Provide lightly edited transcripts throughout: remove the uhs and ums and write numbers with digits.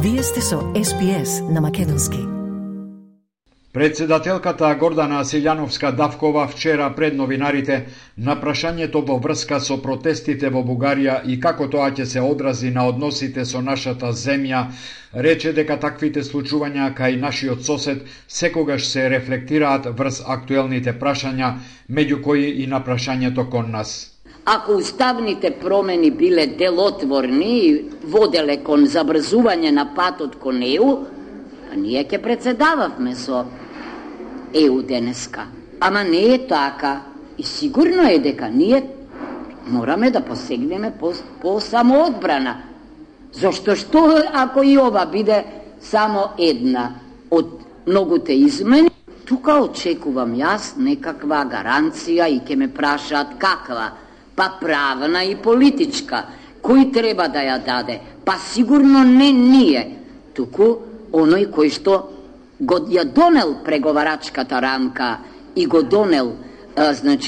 Вие сте со SPS на македонски. Председателката Гордана Силјановска-Давкова вчера пред новинарите на прашањето во врска со протестите во Бугарија и како тоа ќе се одрази на односите со нашата земја, рече дека таквите случувања кај нашиот сосед секогаш се рефлектираат врз актуелните прашања, меѓу кои и на прашањето кон нас. Ако уставните промени биле делотворни и воделе кон забрзување на патот кон ЕУ, ние ќе председававме со ЕУ денеска. Ама не е така. И сигурно е дека ние мораме да посегнеме по самоодбрана. Зошто што ако и ова биде само една од многуте измени, тука очекувам јас некаква гаранција и ќе ме прашаат каква, па правна и политичка. Кој треба да ја даде? Па сигурно не ние, туку оној кој што го ја донел преговарачката рамка и го донел,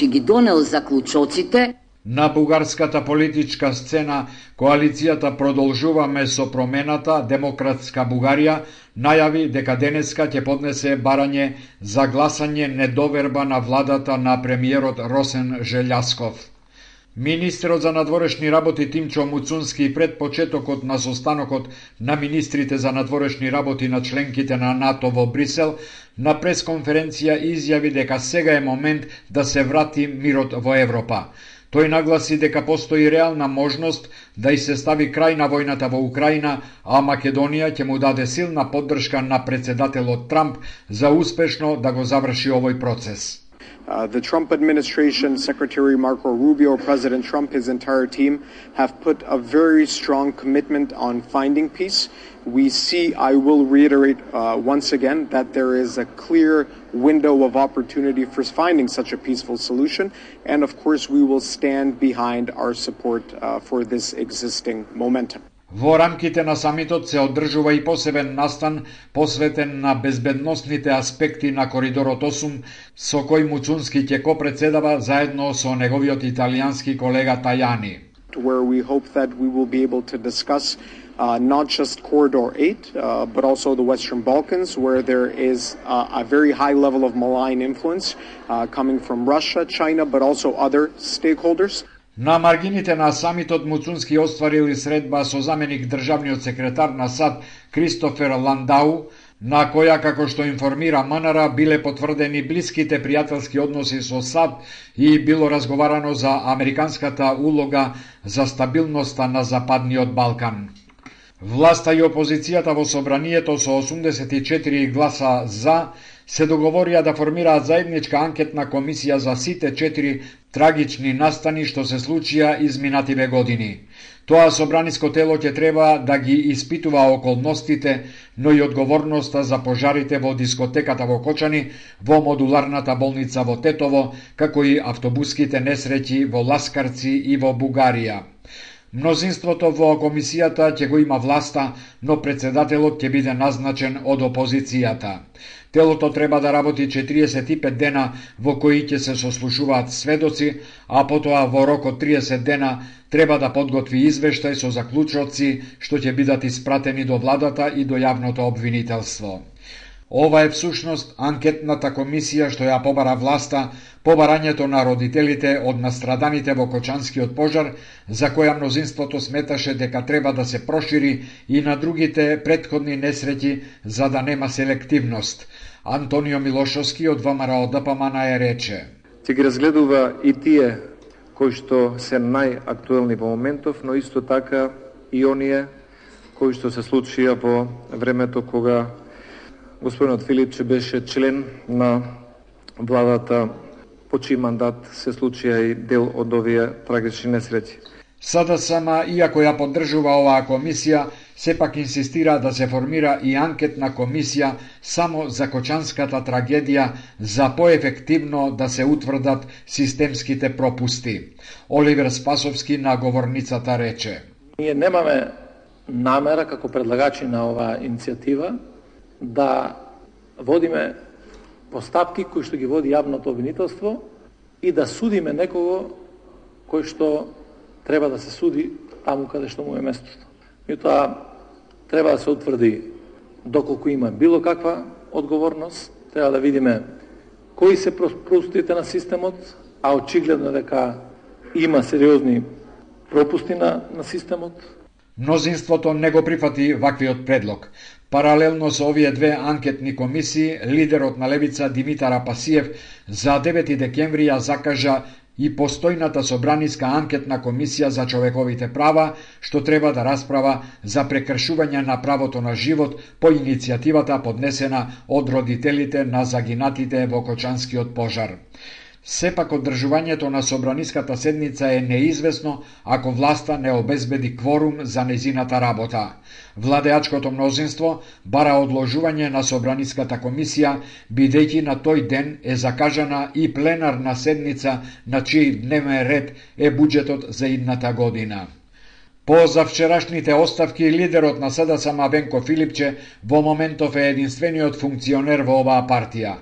ги донел заклучоците. На бугарската политичка сцена, коалицијата Продолжуваме со промената, Демократска Бугарија, најави дека денеска ќе поднесе барање за гласање недоверба на владата на премиерот Росен Желјасков. Министерот за надворешни работи Тимчо Муцунски пред почетокот на состанокот на министрите за надворешни работи на членките на НАТО во Брисел на пресконференција изјави дека сега е момент да се врати мирот во Европа. Тој нагласи дека постои реална можност да и се стави крај на војната во Украина, а Македонија ќе му даде силна поддршка на председателот Трамп за успешно да го заврши овој процес. The Trump administration, Secretary Marco Rubio, President Trump, his entire team have put a very strong commitment on finding peace. We see, I will reiterate once again, that there is a clear window of opportunity for finding such a peaceful solution. And of course, we will stand behind our support for this existing momentum. Во рамките на самитот се одржува и посебен настан посветен на безбедносните аспекти на Коридорот 8, со кој Муцунски ќе копредседава заедно со неговиот италијански колега Тајани. Where we hope that we will be able to discuss not just Corridor 8, but also the Western Balkans, where there is a very high level of malign influence coming from Russia, China, but also other stakeholders. На маргините на самитот Муцунски остварил и средба со заменик државниот секретар на САД Кристофер Ландау, на која, како што информира МНР, биле потврдени блиските пријателски односи со САД и било разговарано за американската улога за стабилноста на Западниот Балкан. Власта и опозицијата во собранието со 84 гласа за се договорија да формираат заедничка анкетна комисија за сите 4 трагични настани што се случија изминативе години. Тоа собраниско тело ќе треба да ги испитува околностите, но и одговорноста за пожарите во дискотеката во Кочани, во модуларната болница во Тетово, како и автобуските несреќи во Ласкарци и во Бугарија. Мнозинството во комисијата ќе го има власта, но председателот ќе биде назначен од опозицијата. Телото треба да работи 45 дена во кои ќе се сослушуваат сведоци, а потоа во рок од 30 дена треба да подготви извештај со заклучоци што ќе бидат испратени до владата и до јавното обвинителство. Ова е всушност анкетната комисија што ја побара власта по барањето на родителите од настраданите во Кочанскиот пожар, за која мнозинството сметаше дека треба да се прошири и на другите претходни несреќи за да нема селективност. Антонио Милошовски од ВМРО ДПМН рече: Ќе ги разгледува и тие кои што се најактуелни во моментов, но исто така и оние кои што се случија во времето кога господинот Филипче беше член на владата, по чиј мандат се случија и дел од овие трагични несреќи. СДСМ, иако ја поддржува оваа комисија, сепак инсистира да се формира и анкетна комисија само за Кочанската трагедија за поефективно да се утврдат системските пропусти. Оливер Спасовски на говорницата рече: Ние немаме намера како предлагачи на оваа иницијатива да водиме постапки кои што ги води јавното обвинителство и да судиме некого кој што треба да се суди таму каде што му е местото. Меѓутоа, треба да се утврди доколку има било каква одговорност, треба да видиме кои се пропустите на системот, а очигледно дека има сериозни пропусти на системот. Мнозинството не го прифати ваквиот предлог. Паралелно со овие две анкетни комисии, лидерот на Левица Димитар Апасиев за 9 декември ја закажа и постојната собраниска анкетна комисија за човековите права, што треба да расправа за прекршување на правото на живот по иницијативата поднесена од родителите на загинатите во Кочанскиот пожар. Сепак одржувањето на собраниската седница е неизвестно ако власта не обезбеди кворум за незината работа. Владеачкото мнозинство бара одложување на собраниската комисија, бидејќи на тој ден е закажана и пленарна седница на чиј дневен ред е буџетот за идната година. По завчерашните оставки, лидерот на СДСМ Венко Филипче во моментов е единствениот функционер во оваа партија.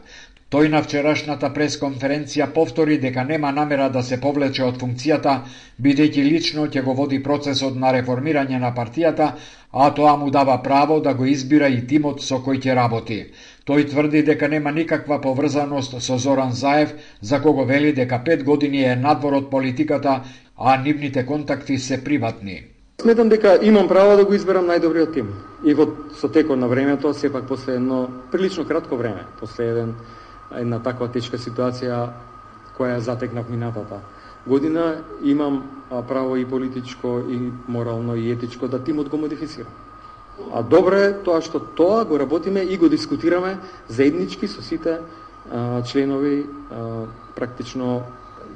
Тој на вчерашната пресконференција повтори дека нема намера да се повлече од функцијата, бидејќи лично ќе го води процесот на реформирање на партијата, а тоа му дава право да го избира и тимот со кој ќе работи. Тој тврди дека нема никаква поврзаност со Зоран Заев, за кого вели дека 5 години е надвор од политиката, а нивните контакти се приватни. Сметам дека имам право да го изберам најдобриот тим. И со текот на времето, сепак после едно прилично кратко време, после една таква тешка ситуација која затекнав минатата година, имам право и политичко, и морално, и етичко да тимот го модифицира. А добро е тоа што тоа го работиме и го дискутираме заеднички со сите членови практично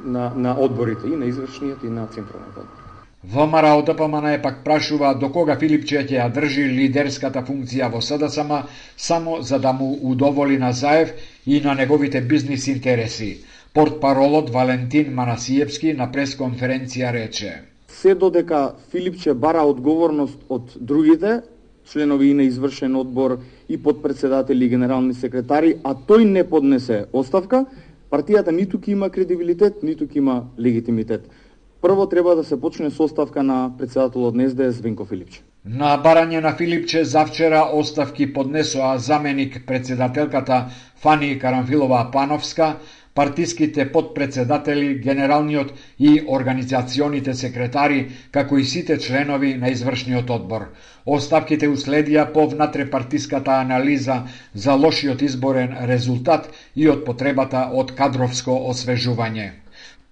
на одборите, и на извршниот, и на централниот одбор. ВМРО ДПМН пак прашува до кога Филипче ќе ја држи лидерската функција во СДСМ само за да му удоволи на Заев и на неговите бизнис интереси. Портпаролот Валентин Манасиевски на пресконференција рече: се додека Филипче бара одговорност од другите, членови и на извршен одбор и подпредседатели и генерални секретари, а тој не поднесе оставка, партијата ниту ќе има кредибилитет, ниту ќе има легитимитет. Прво треба да се почне со оставка на председателот на СДС Венко Филипче. На барање на Филипче завчера оставки поднесоа заменик председателката Фани Карамфилова Пановска, партиските подпредседатели, генералниот и организационите секретари, како и сите членови на извршниот одбор. Оставките уследија по внатрепартиската анализа за лошиот изборен резултат и од потребата од кадровско освежување.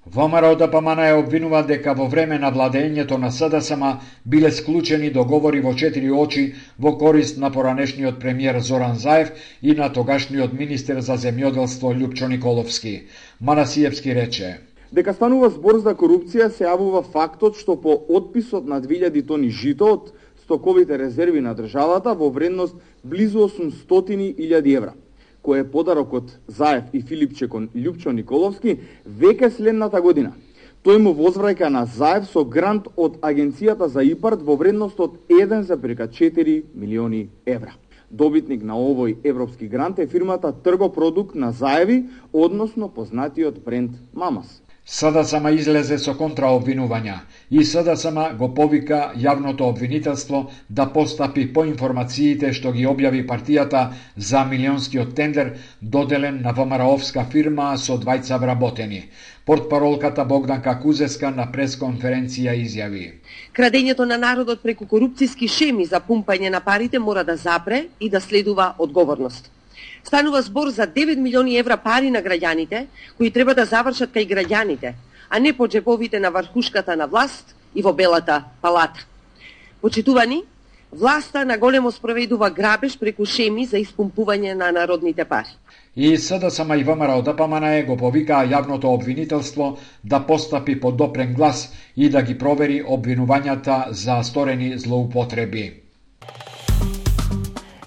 ВМРО ДПМН обвинува дека во време на владењето на СДСМ биле склучени договори во 4 очи во корист на поранешниот премиер Зоран Заев и на тогашниот министер за земјоделство Љупчо Николовски. Манасиевски рече: дека станува збор за корупција се јавува фактот што по отписот на 2000 тони жито од стоковите резерви на државата во вредност близу 800.000 евра, кој е подарок од Заев и Филипче кон Љупчо Николовски, веќе следната година тој му возвраќа на Заев со грант од Агенцијата за ИПАРД во вредност од 1,4 милиони евра. Добитник на овој европски грант е фирмата Тргопродукт на Заеви, односно познатиот бренд Мамас. СДСМ излезе со контраобвинувања и СДСМ го повика јавното обвинителство да постапи по информациите што ги објави партијата за милионскиот тендер доделен на ВМРО-овска фирма со двајца вработени. Портпаролката Богданка Кузеска на пресконференција изјави: крадењето на народот преку корупцијски шеми за пумпање на парите мора да запре и да следува одговорност. Станува збор за 9 милиони евра пари на граѓаните, кои треба да завршат кај граѓаните, а не по джебовите на врхушката на власт и во Белата палата. Почитувани, власта на големо спроведува грабеж преку шеми за испумпување на народните пари. И СДСМ и ВМРО ДПМН го повикаа јавното обвинителство да постапи по допрен глас и да ги провери обвинувањата за сторени злоупотреби.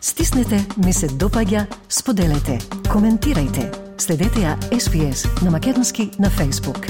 Стиснете, ми се допаѓа, споделете, коментирајте. Следете ја SPS на Македонски на Facebook.